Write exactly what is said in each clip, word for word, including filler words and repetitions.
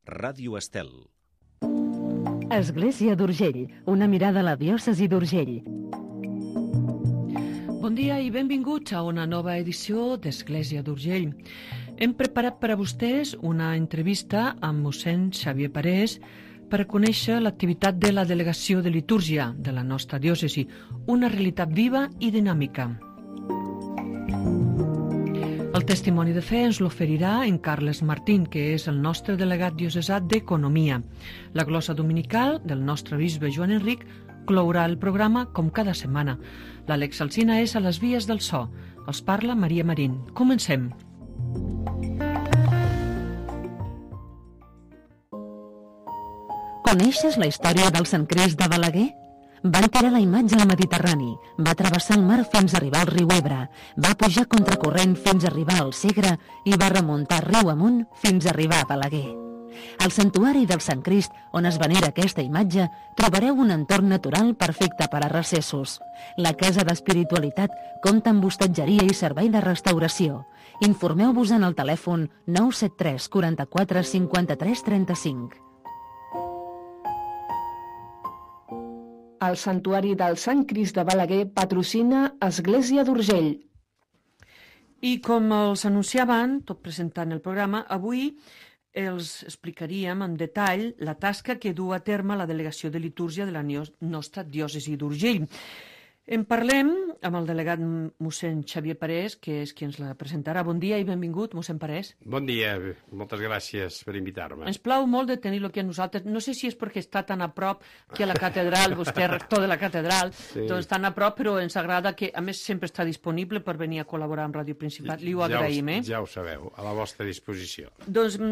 Ràdio Estel. Església d'Urgell, una mirada a la diòcesi d'Urgell. Bon dia i benvinguts a una nova edició d'Església d'Urgell. Hem preparat per a vostès una entrevista amb mossèn Xavier Parés per a conèixer l'activitat de la Delegació de Litúrgia de la nostra diòcesi, una realitat viva i dinàmica. El testimoni de fe ens l'oferirà en Carles Martín, que és el nostre delegat diocesà d'Economia. La glosa dominical del nostre bisbe Joan Enric clourà el programa com cada setmana. L'Àlex Alsina és a les vies del so. Els parla Maria Marín. Comencem. Coneixes la història del Sant Crist de Balaguer? Va enterrar la imatge al Mediterrani, va travessar el mar fins a arribar al riu Ebre, va pujar contracorrent fins a arribar al Segre i va remuntar riu amunt fins a arribar a Balaguer. Al santuari del Sant Crist, on es venera aquesta imatge, trobareu un entorn natural perfecte per a recessos. La Casa d'Espiritualitat compta amb hostatgeria i servei de restauració. Informeu-vos en el telèfon nou set tres quaranta-quatre cinquanta-tres trenta-cinc. El Santuari del Sant Crist de Balaguer patrocina Església d'Urgell. I com els anunciaven, tot presentant el programa, avui els explicaríem en detall la tasca que du a terme la Delegació de Litúrgia de la nostra diòcesi d'Urgell. En parlem amb el delegat mossèn Xavier Parés, que és qui ens la presentarà. Bon dia i benvingut, mossèn Parés. Bon dia, moltes gràcies per invitar-me. Ens plau molt de tenir-lo aquí a nosaltres. No sé si és perquè està tan a prop que a la catedral, vostè és rector de la catedral, sí. Doncs tan a prop, però ens agrada que, a més, sempre està disponible per venir a col·laborar amb Ràdio Principat. Li ho agraïm, eh? Ja ho sabeu, a la vostra disposició. Doncs,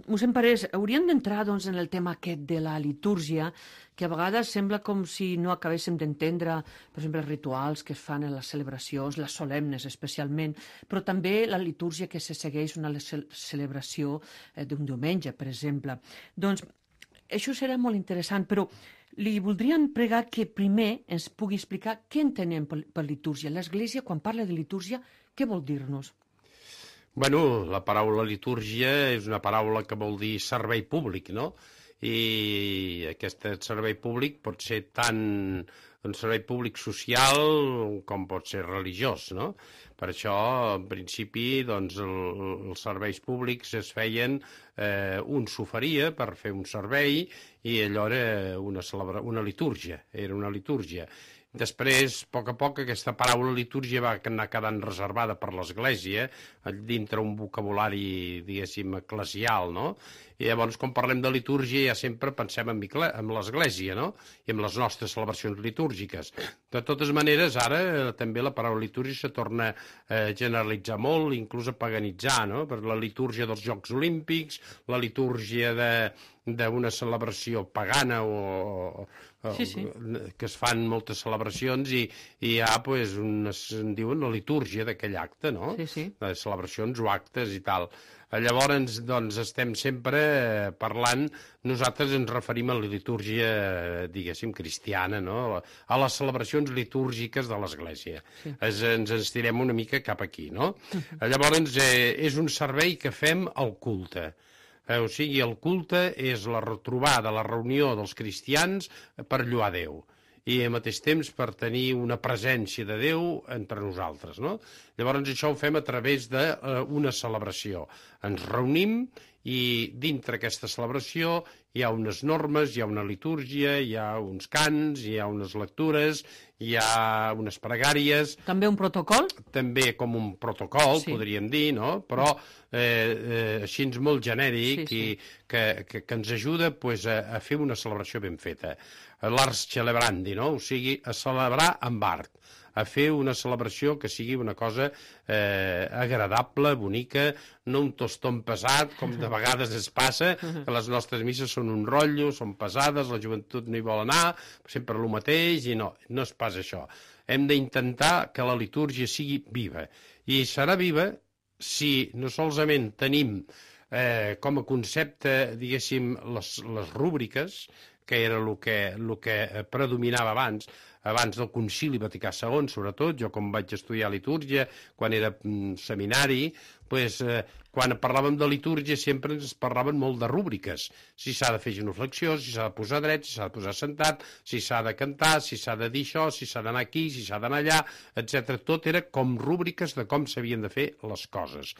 mossèn Parés, hauríem d'entrar doncs, en el tema aquest de la litúrgia, que a vegades sembla com si no acabéssim d'entendre, per exemple, els rituals que es fan en les celebracions, les solemnes especialment, però també la litúrgia que se segueix una celebració d'un diumenge, per exemple. Doncs això serà molt interessant, però li voldríem pregar que primer ens pugui explicar què entenem per litúrgia. L'Església, quan parla de litúrgia, què vol dir-nos? Bueno, la paraula litúrgia és una paraula que vol dir servei públic, no? I aquest servei públic pot ser tant un servei públic social com pot ser religiós, no? Per això, en principi, doncs, el, els serveis públics es feien, eh, un s'oferia per fer un servei i allò era una, celebra, una litúrgia, era una litúrgia. Després, a poc a poc, aquesta paraula litúrgia va anar quedant reservada per l'Església, dintre un vocabulari, diguéssim, eclesial, no? I llavors, quan parlem de litúrgia, ja sempre pensem en l'Església, no? I en les nostres celebracions litúrgiques. De totes maneres, ara també la paraula litúrgia se torna a generalitzar molt, inclús a paganitzar, no? Per la litúrgia dels Jocs Olímpics, la litúrgia de d'una celebració pagana o, o sí, sí. que es fan moltes celebracions i, i hi ha, pues, una, en diuen la litúrgia d'aquell acte, no? Sí, sí. De celebracions o actes i tal. Llavors, doncs, estem sempre parlant, nosaltres ens referim a la litúrgia, diguéssim, cristiana, no? A les celebracions litúrgiques de l'Església. Sí. Es, ens estirem una mica cap aquí, no? Llavors, eh, és un servei que fem al culte. Eh, o sigui, el culte és la retrobada, la reunió dels cristians per lloar Déu i al mateix temps per tenir una presència de Déu entre nosaltres, no? Llavors això ho fem a través d'una celebració. Ens reunim i dintre aquesta celebració hi ha unes normes, hi ha una litúrgia, hi ha uns cants, hi ha unes lectures, hi ha unes pregàries. També un protocol? També com un protocol, sí. Podríem dir, no? Però eh, eh, així molt genèric, sí, sí. I que, que, que ens ajuda, pues, a, a fer una celebració ben feta. L'ars celebrandi, no? O sigui, a celebrar amb art, a fer una celebració que sigui una cosa eh, agradable, bonica, no un tostón pesat, com de vegades es passa, que les nostres misses són un rotllo, són pesades, la joventut no hi vol anar, sempre el mateix, i no, no és pas això. Hem d'intentar que la litúrgia sigui viva, i serà viva si no solament tenim eh, com a concepte, diguéssim, les, les rúbriques, que era el que, el que predominava abans, abans del Concili Vaticà segon, sobretot, jo com vaig estudiar litúrgia, quan era mm, seminari, pues, eh, quan parlàvem de litúrgia sempre ens parlaven molt de rúbriques, si s'ha de fer genuflexió, si s'ha de posar dret, si s'ha de posar sentat, si s'ha de cantar, si s'ha de dir això, si s'ha d'anar aquí, si s'ha d'anar allà, etcètera. Tot era com rúbriques de com s'havien de fer les coses.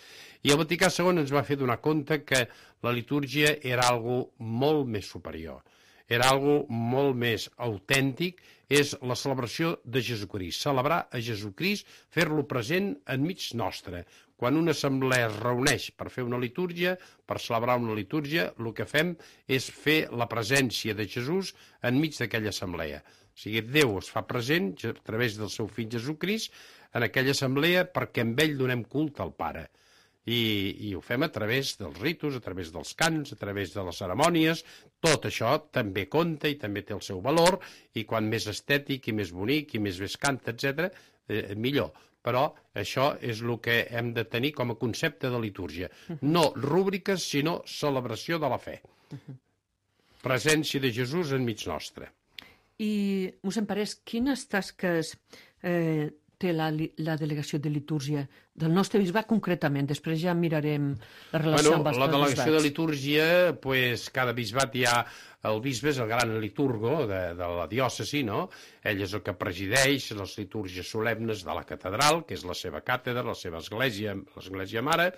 I el Vaticà segon ens va fer donar compte que la litúrgia era algo molt més superior, era algo molt més autèntic, és la celebració de Jesucrist, celebrar a Jesucrist, fer-lo present enmig nostre. Quan una assemblea es reuneix per fer una litúrgia, per celebrar una litúrgia, el que fem és fer la presència de Jesús enmig d'aquella assemblea. O sigui, Déu es fa present a través del seu fill Jesucrist en aquella assemblea perquè amb ell donem culte al Pare. I, i ho fem a través dels ritus, a través dels cants, a través de les cerimònies. Tot això també compta i també té el seu valor, i quan més estètic i més bonic i més bé es canta, etcètera, eh, millor. Però això és el que hem de tenir com a concepte de litúrgia. No rúbriques, sinó celebració de la fe. Presència de Jesús enmig nostre. I, mossèn Parés, quines tasques eh, té la, la delegació de litúrgia del nostre bisbat concretament? Després ja mirarem la relació bueno, amb els la delegació bisbats. de litúrgia, pues, cada bisbat hi ha el bisbe, és el gran liturgo de, de la diòcesi, no? Ell és el que presideix les litúrgies solemnes de la catedral, que és la seva càtedra, la seva església, l'església mare,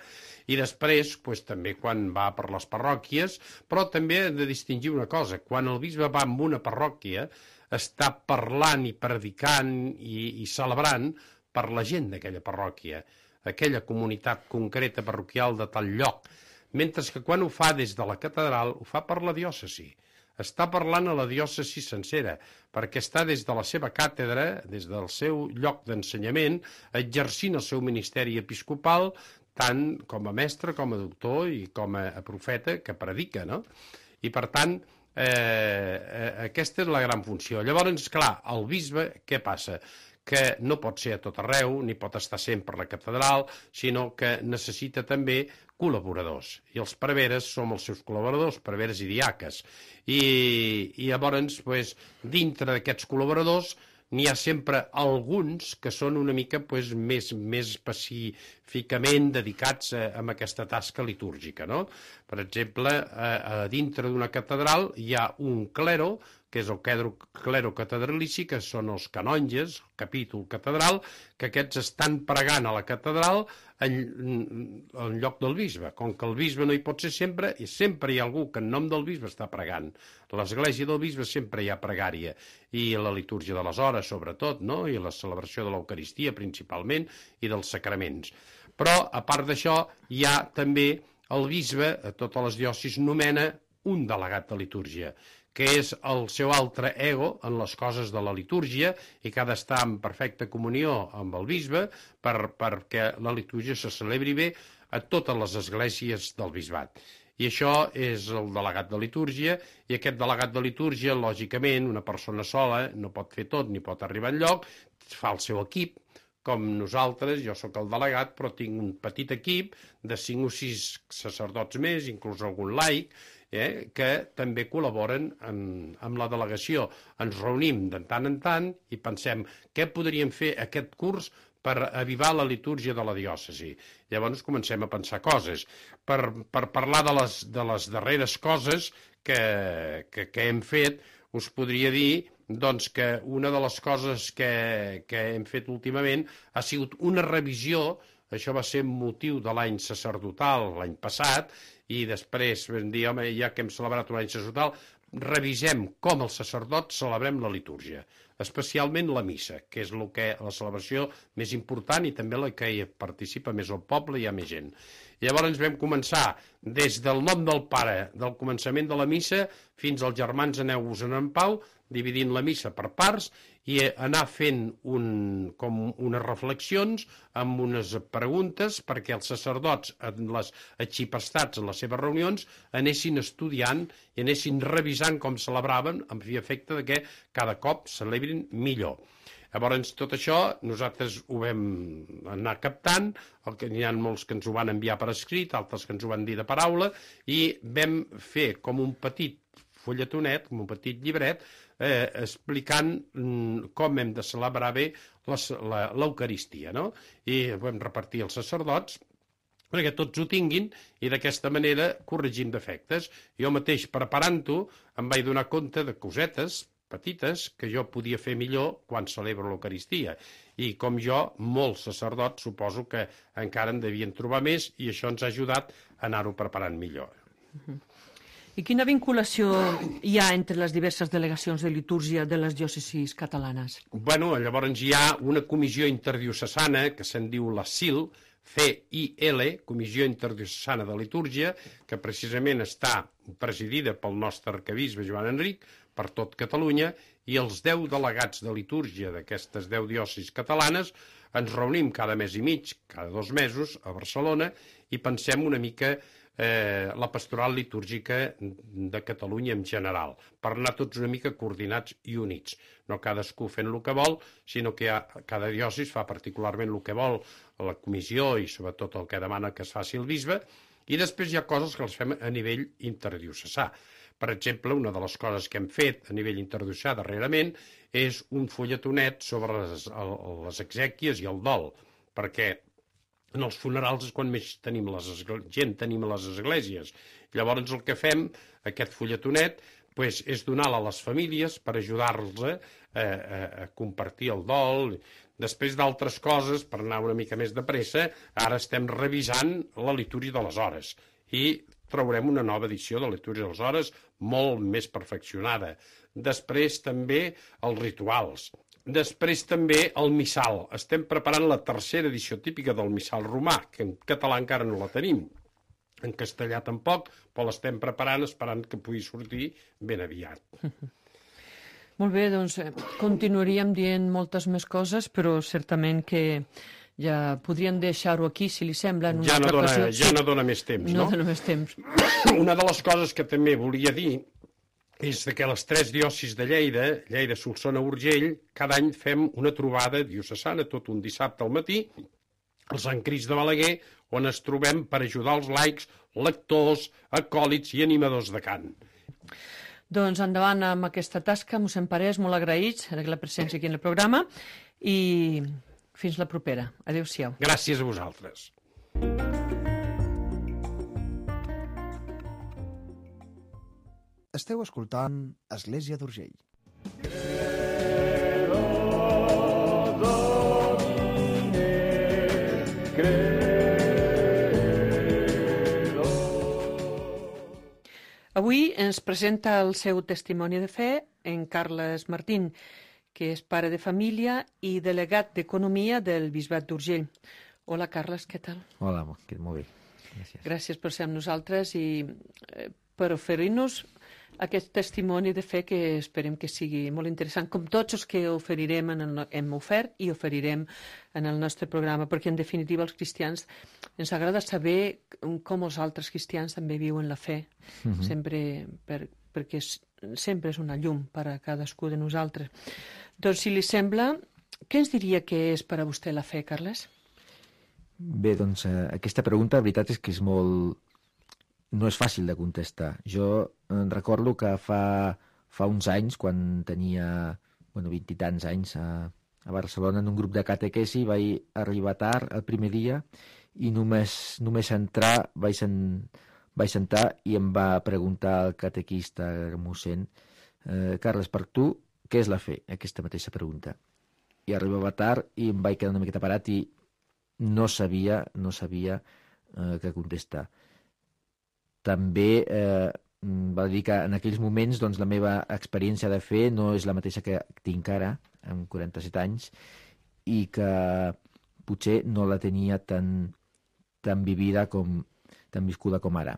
i després, pues, també quan va per les parròquies, però també hem de distingir una cosa: quan el bisbe va amb una parròquia, està parlant i predicant i, i celebrant per la gent d'aquella parròquia, aquella comunitat concreta parroquial de tal lloc, mentre que quan ho fa des de la catedral ho fa per la diòcesi. Està parlant a la diòcesi sencera, perquè està des de la seva càtedra, des del seu lloc d'ensenyament, exercint el seu ministeri episcopal, tant com a mestre, com a doctor i com a profeta que predica, no? I per tant, Eh, eh, aquesta és la gran funció. Llavors, clar, el bisbe, què passa? Que no pot ser a tot arreu, ni pot estar sempre a la catedral, sinó que necessita també col·laboradors. I els preveres som els seus col·laboradors, preveres i diaques. I, i llavors, pues, dintre d'aquests col·laboradors, n'hi ha sempre alguns que són una mica pues, més, més específicament dedicats a, a aquesta tasca litúrgica, no? Per exemple, a, a dintre d'una catedral hi ha un clero, que és el clero catedralici, que són els canonges, el capítol catedral, que aquests estan pregant a la catedral en, en lloc del bisbe. Com que el bisbe no hi pot ser sempre, i sempre hi ha algú que en nom del bisbe està pregant. A l'església del bisbe sempre hi ha pregària, i la litúrgia de les hores, sobretot, no? I la celebració de l'Eucaristia, principalment, i dels sacraments. Però, a part d'això, hi ha també el bisbe, a totes les diòcesis, nomena un delegat de litúrgia, que és el seu altre ego en les coses de la litúrgia i que ha d'estar en perfecta comunió amb el bisbe per, perquè la litúrgia se celebri bé a totes les esglésies del bisbat. I això és el delegat de litúrgia, i aquest delegat de litúrgia, lògicament, una persona sola no pot fer tot ni pot arribar enlloc, fa el seu equip, com nosaltres. Jo sóc el delegat, però tinc un petit equip de cinc o sis sacerdots més, inclús algun laic, eh, que també col·laboren amb, amb la delegació. Ens reunim de tant en tant i pensem què podríem fer aquest curs per avivar la litúrgia de la diòcesi. Llavors comencem a pensar coses. Per, per parlar de les, de les darreres coses que, que, que hem fet, us podria dir doncs, que una de les coses que, que hem fet últimament ha sigut una revisió. Això va ser motiu de l'any sacerdotal l'any passat, i després vam dir, home, ja que hem celebrat un any sacerdotal, revisem com els sacerdots celebrem la litúrgia, especialment la missa, que és el que, la celebració més important i també la que hi participa més el poble i hi ha més gent. Llavors vam començar des del nom del Pare, del començament de la missa, fins als germans aneu-vos-en en pau, dividint la missa per parts i anar fent un, com unes reflexions amb unes preguntes perquè els sacerdots, en les atxipestats en les seves reunions, anessin estudiant i anessin revisant com celebraven, amb fi efecte de que cada cop celebrin millor. Llavors, tot això nosaltres ho vam anar captant, n'hi ha molts que ens ho van enviar per escrit, altres que ens ho van dir de paraula, i vam fer com un petit fulletonet, com un petit llibret, eh, explicant mm, com hem de celebrar bé l'Eucaristia, no? I ho vam repartir als sacerdots, perquè tots ho tinguin i d'aquesta manera corregim defectes. Jo mateix, preparant-ho, em vaig donar compte de cosetes petites que jo podia fer millor quan celebro l'Eucaristia. I com jo, molts sacerdots suposo que encara en devien trobar més i això ens ha ajudat a anar-ho preparant millor. I quina vinculació hi ha entre les diverses delegacions de litúrgia de les diòcesis catalanes? Bueno, llavors hi ha una comissió interdiocesana que se'n diu la C I L, C I L, Comissió Interdiocesana de Litúrgia, que precisament està presidida pel nostre arquebisbe Joan Enric, per tot Catalunya, i els deu delegats de litúrgia d'aquestes deu diòcesis catalanes ens reunim cada mes i mig, cada dos mesos, a Barcelona, i pensem una mica eh, la pastoral litúrgica de Catalunya en general, per anar tots una mica coordinats i units. No cadascú fent el que vol, sinó que ha, cada diòcesis fa particularment el que vol la comissió i sobretot el que demana que es faci el bisbe, i després hi ha coses que les fem a nivell interdiocesà. Per exemple, una de les coses que hem fet a nivell interdiocesà darrerament és un fulletonet sobre les, les exèquies i el dol, perquè en els funerals és quan més tenim les gent tenim a les esglésies. Llavors el que fem, aquest fulletonet, pues, és donar-la a les famílies per ajudar-los a, a, a compartir el dol. Després d'altres coses, per anar una mica més de pressa, ara estem revisant la litúrgia de les hores i traurem una nova edició de la litúrgia de les hores molt més perfeccionada. Després també els rituals. Després també el missal. Estem preparant la tercera edició típica del missal romà, que en català encara no la tenim. En castellà tampoc, però l'estem preparant esperant que pugui sortir ben aviat. Molt bé, doncs continuaríem dient moltes més coses, però certament que ja podríem deixar-ho aquí, si li sembla, en una ja no altra dona, ocasió. Ja sí. no dona més temps, no? No dona més temps. Una de les coses que també volia dir és que les tres diòcesis de Lleida, Lleida, Solsona, Urgell, cada any fem una trobada diocesana, tot un dissabte al matí, al Sant Crist de Balaguer, on ens trobem per ajudar els laics, lectors, acòlits i animadors de cant. Doncs endavant amb aquesta tasca, mossèn Parés, molt agraïts de la presència aquí en el programa i fins la propera. Adéu-siau. Gràcies a vosaltres. Esteu escoltant Església d'Urgell. Avui ens presenta el seu testimoni de fe en Carles Martín, que és pare de família i delegat d'Economia del Bisbat d'Urgell. Hola, Carles, què tal? Hola, molt bé. Gràcies. Gràcies per ser amb nosaltres i eh, per oferir-nos aquest testimoni de fe que esperem que sigui molt interessant, com tots els que oferirem en el, hem ofert i oferirem en el nostre programa, perquè en definitiva els cristians ens agrada saber com els altres cristians també viuen la fe, uh-huh. sempre per, perquè és, sempre és una llum per a cadascú de nosaltres. Doncs, si li sembla, què ens diria que és per a vostè la fe, Carles? Bé, doncs, eh, aquesta pregunta, la veritat és que és molt... no és fàcil de contestar. Jo em recordo que fa, fa uns anys, quan tenia bueno, vint i tants anys a, a Barcelona, en un grup de catequesi, vaig arribar tard el primer dia i només, només entrar vaig, sen, vaig sentar i em va preguntar el catequista, el mossèn, eh, Carles, per tu, què és la fe? Aquesta mateixa pregunta. I arribava tard i em vaig quedar una miqueta parat i no sabia, no sabia eh, què contestar. També eh, va dir que en aquells moments doncs, la meva experiència de fe no és la mateixa que tinc ara, amb quaranta-set anys, i que potser no la tenia tan, tan vivida com, tan viscuda com ara.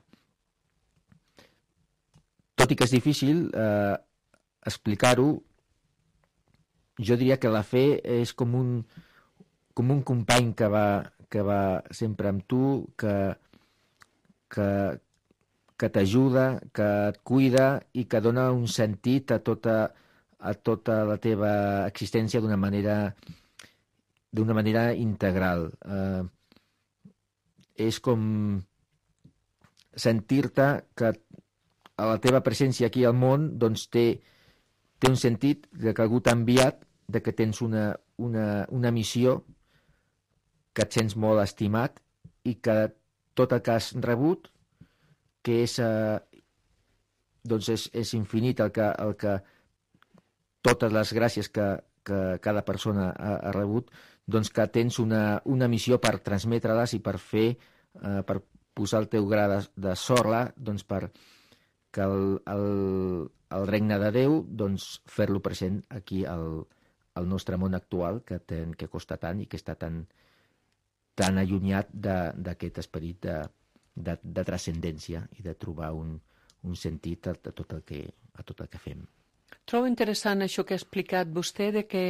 Tot i que és difícil eh, explicar-ho, jo diria que la fe és com un, com un company que va, que va sempre amb tu, que, que, que t'ajuda, que et cuida i que dona un sentit a tota, a tota la teva existència d'una manera, d'una manera integral. Eh, és com sentir-te que a la teva presència aquí al món doncs té, té un sentit de que algú t'ha enviat, de que tens una, una, una missió, que et sents molt estimat i que tot el que has rebut, que és, eh, doncs és, és infinit el que, el que totes les gràcies que, que cada persona ha, ha rebut, doncs que tens una, una missió per transmetre-les i per fer, eh, per posar el teu gra de, de sorra, doncs per que el, el, el regne de Déu, doncs fer-lo present aquí al, al nostre món actual, que, ten, que costa tant i que està tan, tan allunyat d'aquest esperit de, de, de transcendència i de trobar un, un sentit a, a, tot el que, a tot el que fem. Trobo interessant això que ha explicat vostè, de que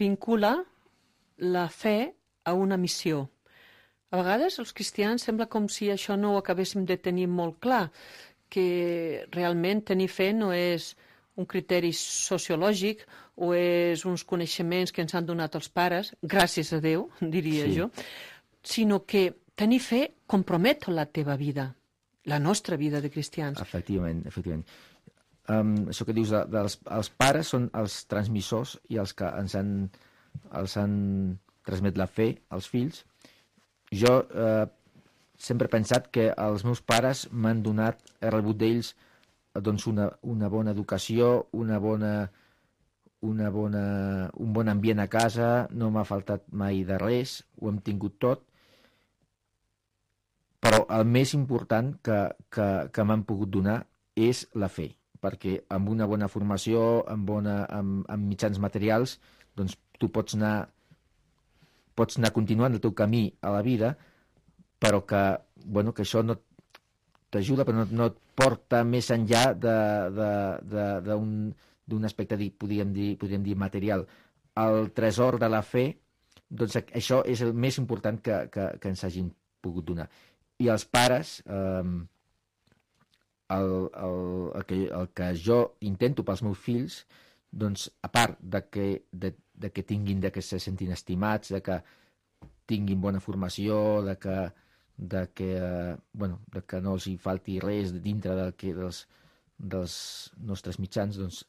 vincula la fe a una missió. A vegades els cristians sembla com si això no ho acabéssim de tenir molt clar, que realment tenir fe no és un criteri sociològic o és uns coneixements que ens han donat els pares, gràcies a Déu, diria sí. jo, sinó que tenir fe compromet la teva vida, la nostra vida de cristians. Efectivament, efectivament. Um, això que dius de, dels els pares són els transmissors i els que ens han, els han transmet la fe als fills. Jo eh, sempre he pensat que els meus pares m'han donat, he rebut d'ells doncs una, una bona educació, una bona, una bona, un bon ambient a casa, no m'ha faltat mai de res, ho hem tingut tot, però el més important que, que, que m'han pogut donar és la fe, perquè amb una bona formació, amb, bona, amb, amb mitjans materials, doncs tu pots anar, pots anar continuant el teu camí a la vida, però que, bueno, que això no t'ajuda, però no, no et porta més enllà d'un aspecte, podríem dir, podríem dir material. El tresor de la fe, doncs això és el més important que, que, que ens hagin pogut donar. I els pares, eh, el, el, el, que, el que jo intento pels meus fills, doncs a part de que, de, de que tinguin, de que se sentin estimats, de que tinguin bona formació, de que de que, eh, bueno, de que no els hi falti res dintre del que, dels, dels nostres mitjans, doncs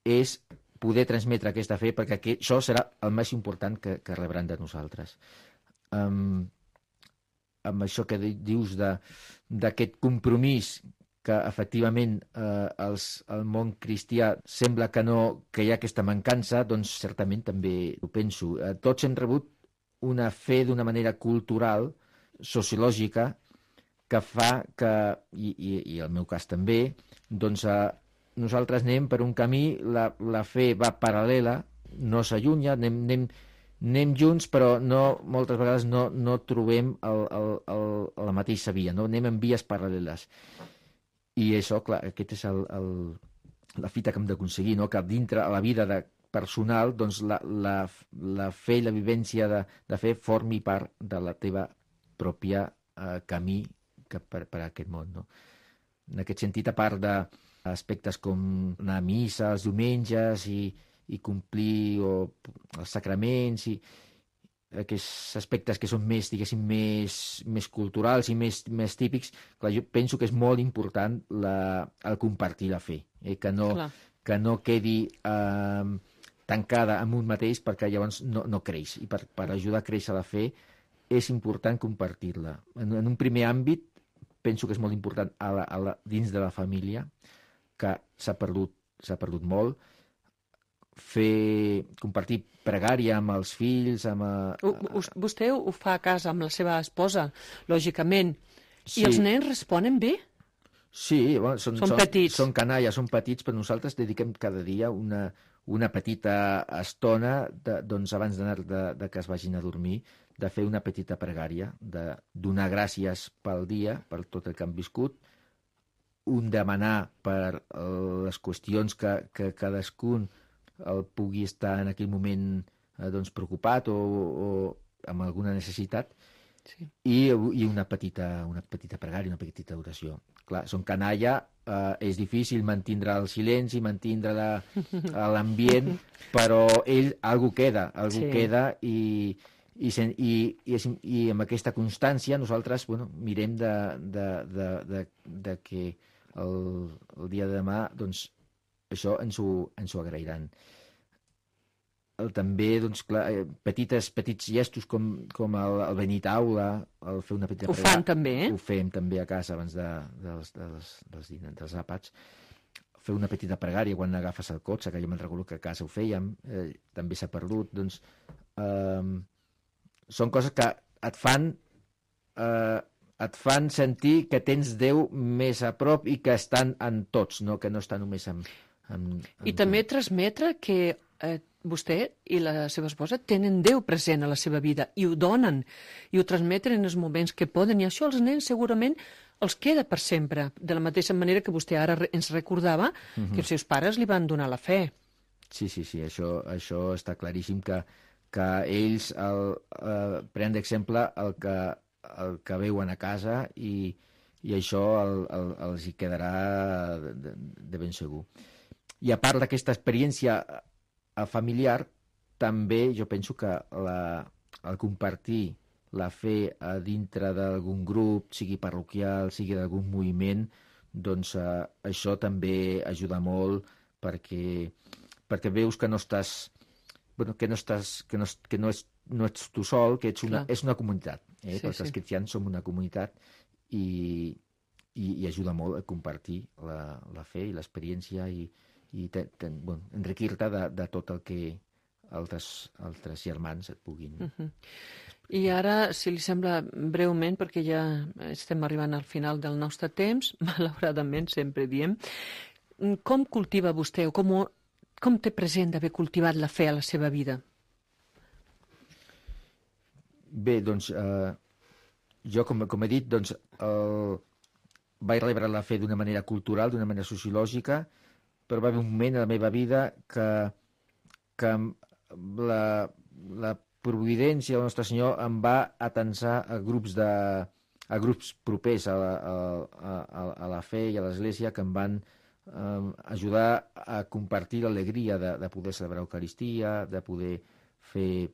és poder transmetre aquesta fe, perquè que, això serà el més important que, que rebran de nosaltres. Um, amb això que dius d'aquest compromís que efectivament eh, els, el món cristià sembla que, no, que hi ha aquesta mancança, doncs certament també ho penso. Eh, tots hem rebut una fe d'una manera cultural, sociològica, que fa que, i, i, i el meu cas també, doncs eh, nosaltres anem per un camí, la, la fe va paral·lela, no s'allunya, anem, anem, anem junts, però no, moltes vegades no, no trobem el, el, el, la mateixa via, no? Anem en vies paral·leles. I això, clar, aquest és el, el, la fita que hem d'aconseguir, no? Que dintre a la vida de personal, doncs la, la, la fe i la vivència de, de fe formi part de la teva pròpia eh, camí que per, per aquest món, no? En aquest sentit, a part d'aspectes com anar a missa els diumenges i, i complir o, els sacraments i aquests aspectes que són més, diguéssim, més, més culturals i més, més típics, clar, jo penso que és molt important la, el compartir la fe, eh? que, no, que no quedi eh, tancada en un mateix, perquè llavors no, no creix. I per, per ajudar a créixer la fe és important compartir-la. En, en un primer àmbit, penso que és molt important a la, a la, dins de la família, que s'ha perdut, s'ha perdut molt, fer, compartir pregària amb els fills, amb... A... Vostè ho fa a casa amb la seva esposa, lògicament. Sí. I els nens responen bé? Sí, bueno, són, són, són petits. Són canalles, són petits, però nosaltres dediquem cada dia una, una petita estona, de, doncs abans d'anar de, de que es vagin a dormir, de fer una petita pregària, de donar gràcies pel dia, per tot el que han viscut, un demanar per les qüestions que, que cadascun el pugui estar en aquell moment eh, doncs, preocupat o, o amb alguna necessitat, sí. I, i una petita, una petita pregària, una petita oració. Clar, som canalla, eh, és difícil mantindre el silenci, mantindre l'ambient, però ell, algú queda, algú sí. queda i, i, i, i, i amb aquesta constància nosaltres bueno, mirem de, de, de, de, de que el, el dia de demà doncs, això ens ho, ens ho agrairan. també, doncs, clar, petites, petits gestos com, com el, el venir a taula, el fer una petita... Ho fan també, eh? Ho fem també a casa abans de, dels, dels, dels, dels, dels àpats. Fer una petita pregària quan agafes el cotxe, que jo me'n recordo que a casa ho fèiem, eh, també s'ha perdut, doncs... Eh, són coses que et fan... Eh, et fan sentir que tens Déu més a prop i que estan en tots, no? Que no està només en... en, en I també transmetre que eh, vostè i la seva esposa tenen Déu present a la seva vida i ho donen, i ho transmeten en els moments que poden, i això als nens segurament els queda per sempre, de la mateixa manera que vostè ara ens recordava uh-huh. que els seus pares li van donar la fe. Sí, sí, sí, això, això està claríssim, que, que ells el, eh, prenen d'exemple el que, el que veuen a casa i, i això el, el, els hi quedarà de, de ben segur. I a part d'aquesta experiència familiar, també jo penso que la, el compartir la fe a dintre d'algun grup, sigui parroquial, sigui d'algun moviment, doncs eh, això també ajuda molt perquè, perquè veus que no estàs, bueno, que no estàs, que no, que no, és, no ets tu sol, que ets una, és una comunitat. Eh? Sí, Tots sí. els cristians som una comunitat i, i, i ajuda molt a compartir la, la fe i l'experiència i, i te, te, bueno, enriquir-te de, de tot el que altres, altres germans et puguin... Uh-huh. I ara, si li sembla breument, perquè ja estem arribant al final del nostre temps, malauradament sempre diem, com cultiva vostè o com, com té present d'haver cultivat la fe a la seva vida? Bé, doncs, eh, jo, com, com he dit, doncs, el, vaig rebre la fe d'una manera cultural, d'una manera sociològica, però va haver un moment a la meva vida que, que la, la providència del Nostre Senyor em va atensar a grups, de, a grups propers a la, a, a, a la fe i a l'Església que em van eh, ajudar a compartir l'alegria de, de poder celebrar l'Eucaristia, de poder fer,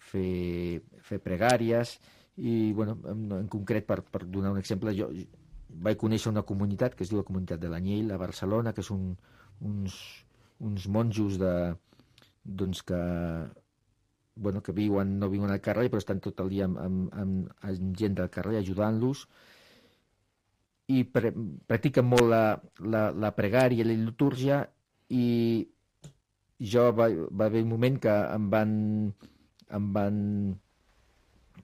fer, fer pregàries i, bueno, en, en concret, per, per donar un exemple, jo vaig conèixer una comunitat que es diu la Comunitat de l'Anyell a Barcelona, que són uns, uns monjos de, doncs que bueno, que viuen, no viuen al carrer, però estan tot el dia amb, amb, amb, amb gent del carrer ajudant-los i pre, practiquen molt la, la, la pregària i la litúrgia i jo va, va haver un moment que em van, em van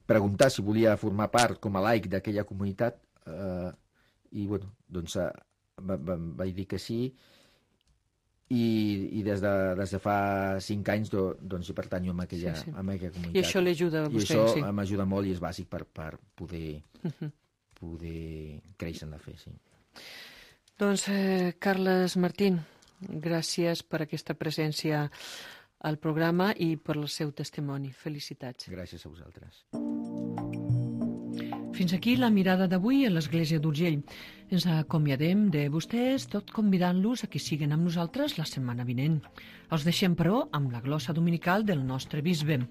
preguntar si volia formar part com a laic d'aquella comunitat eh, i bueno, doncs eh, va, va, vaig dir que sí. I, i des, de, des de fa cinc anys do, doncs hi pertanyo a aquella, sí, sí. a aquella comunitat. I això l'ajuda a vostè? I això sí. m'ajuda molt i és bàsic per, per poder, uh-huh. poder créixer en la fe, sí. Doncs, eh, Carles Martín, gràcies per aquesta presència al programa i per el seu testimoni. Felicitats. Gràcies a vosaltres. Fins aquí la mirada d'avui a l'Església d'Urgell. Ens acomiadem de vostès, tot convidant-los a que siguen amb nosaltres la setmana vinent. Els deixem, però, amb la glossa dominical del nostre bisbe.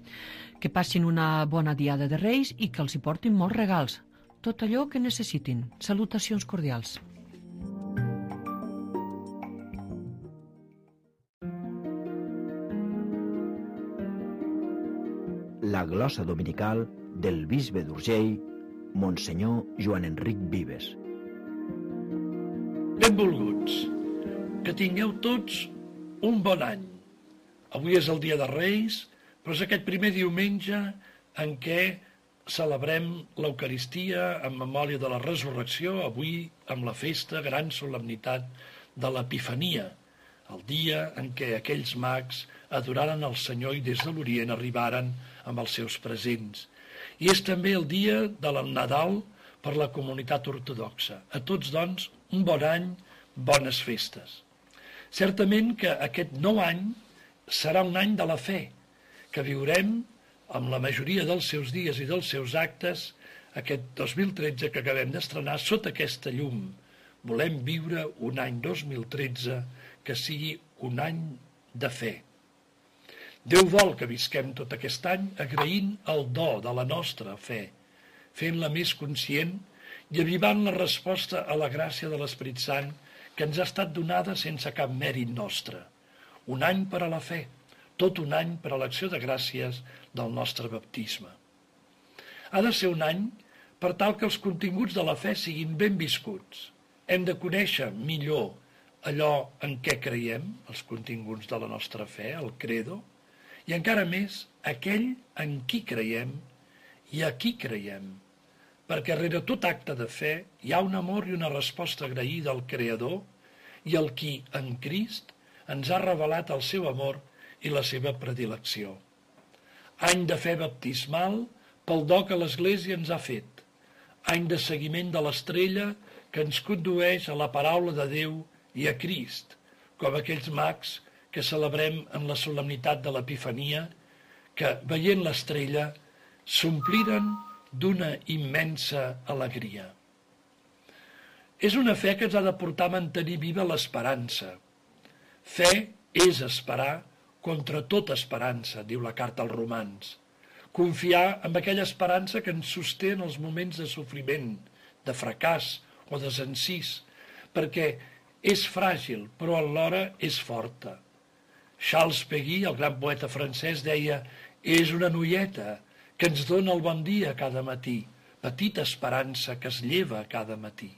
Que passin una bona diada de Reis i que els hi portin molts regals. Tot allò que necessitin. Salutacions cordials. La glossa dominical del bisbe d'Urgell, Monsenyor Joan Enric Vives. Benvolguts, que tingueu tots un bon any. Avui és el dia de Reis, però és aquest primer diumenge en què celebrem l'Eucaristia en memòria de la Resurrecció, avui amb la festa, gran solemnitat de l'Epifania, el dia en què aquells mags adoraren el Senyor i des de l'Orient arribaren amb els seus presents. I és també el dia de la Nadal per la comunitat ortodoxa. A tots, doncs, un bon any, bones festes. Certament que aquest nou any serà un any de la fe, que viurem amb la majoria dels seus dies i dels seus actes aquest dos mil tretze que acabem d'estrenar sota aquesta llum. Volem viure un any dos mil tretze que sigui un any de fe. Déu vol que visquem tot aquest any agraint el do de la nostra fe, fent-la més conscient i avivant la resposta a la gràcia de l'Esperit Sant que ens ha estat donada sense cap mèrit nostre. Un any per a la fe, tot un any per a l'acció de gràcies del nostre baptisme. Ha de ser un any per tal que els continguts de la fe siguin ben viscuts. Hem de conèixer millor allò en què creiem, els continguts de la nostra fe, el credo, i encara més aquell en qui creiem i a qui creiem, perquè rere tot acte de fe hi ha un amor i una resposta agraïda al Creador i al qui, en Crist, ens ha revelat el seu amor i la seva predilecció. Any de fe baptismal pel do que l'Església ens ha fet, any de seguiment de l'estrella que ens condueix a la paraula de Déu i a Crist, com aquells mags que celebrem en la solemnitat de l'Epifania, que, veient l'estrella, s'ompliren d'una immensa alegria. És una fe que ens ha de portar a mantenir viva l'esperança. Fe és esperar contra tota esperança, diu la carta als Romans. Confiar en aquella esperança que ens sosté en els moments de sofriment, de fracàs o de desencís, perquè és fràgil, però alhora és forta. Charles Péguy, el gran poeta francès, deia: és una noieta que ens dona el bon dia cada matí, petita esperança que es lleva cada matí.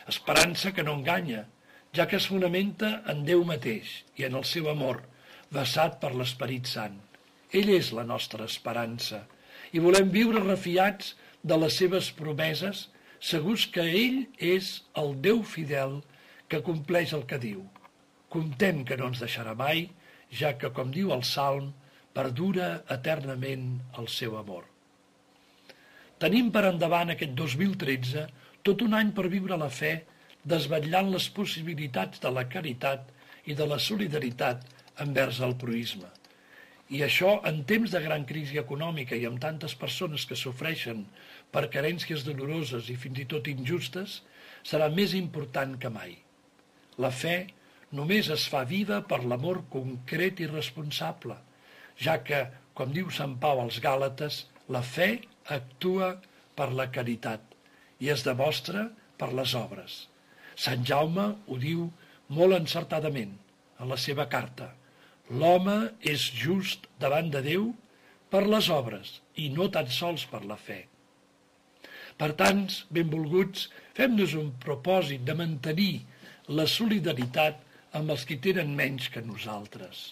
Esperança que no enganya, ja que es fonamenta en Déu mateix i en el seu amor, vessat per l'Esperit Sant. Ell és la nostra esperança i volem viure refiats de les seves promeses, segurs que ell és el Déu fidel que compleix el que diu. Comptem que no ens deixarà mai, ja que, com diu el Salm, perdura eternament el seu amor. Tenim per endavant aquest dos mil tretze tot un any per viure la fe, desvetllant les possibilitats de la caritat i de la solidaritat envers el proïsme. I això, en temps de gran crisi econòmica i amb tantes persones que sofreixen per carències doloroses i fins i tot injustes, serà més important que mai. La fe només es fa viva per l'amor concret i responsable, ja que, com diu Sant Pau als Gàlates, la fe actua per la caritat i es demostra per les obres. Sant Jaume ho diu molt encertadament en la seva carta. L'home és just davant de Déu per les obres i no tan sols per la fe. Per tant, benvolguts, fem-nos un propòsit de mantenir la solidaritat amb els qui tenen menys que nosaltres.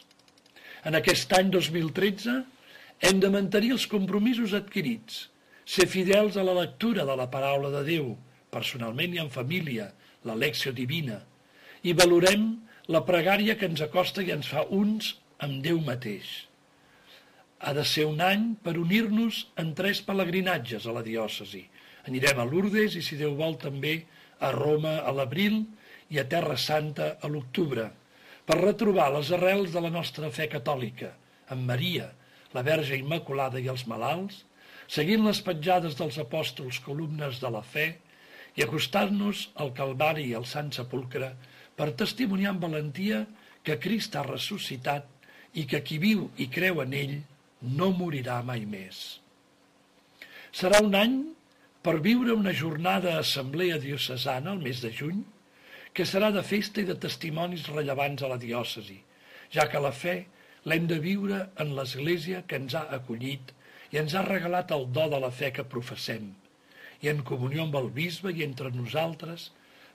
En aquest any dos mil tretze hem de mantenir els compromisos adquirits, ser fidels a la lectura de la paraula de Déu, personalment i en família, la lecció divina, i valorem la pregària que ens acosta i ens fa uns amb Déu mateix. Ha de ser un any per unir-nos en tres pelegrinatges a la diòcesi. Anirem a Lourdes i, si Déu vol, també a Roma a l'abril i a Terra Santa a l'octubre, per retrobar les arrels de la nostra fe catòlica, amb Maria, la Verge Immaculada i els malalts, seguint les petjades dels apòstols columnes de la fe i acostant-nos al Calvari i al Sant Sepulcre per testimoniar amb valentia que Crist ha ressuscitat i que qui viu i creu en ell no morirà mai més. Serà un any per viure una jornada a assemblea diocesana el mes de juny, que serà de festa i de testimonis rellevants a la diòcesi, ja que la fe l'hem de viure en l'Església que ens ha acollit i ens ha regalat el do de la fe que professem, i en comunió amb el bisbe i entre nosaltres,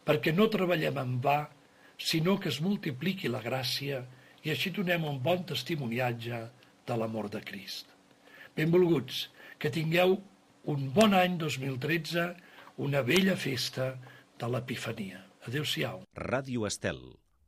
perquè no treballem en va, sinó que es multipliqui la gràcia i així donem un bon testimoniatge de l'amor de Crist. Benvolguts, que tingueu un bon any dos mil tretze, una bella festa de l'Epifania. Adéu-siau. Ràdio Estel.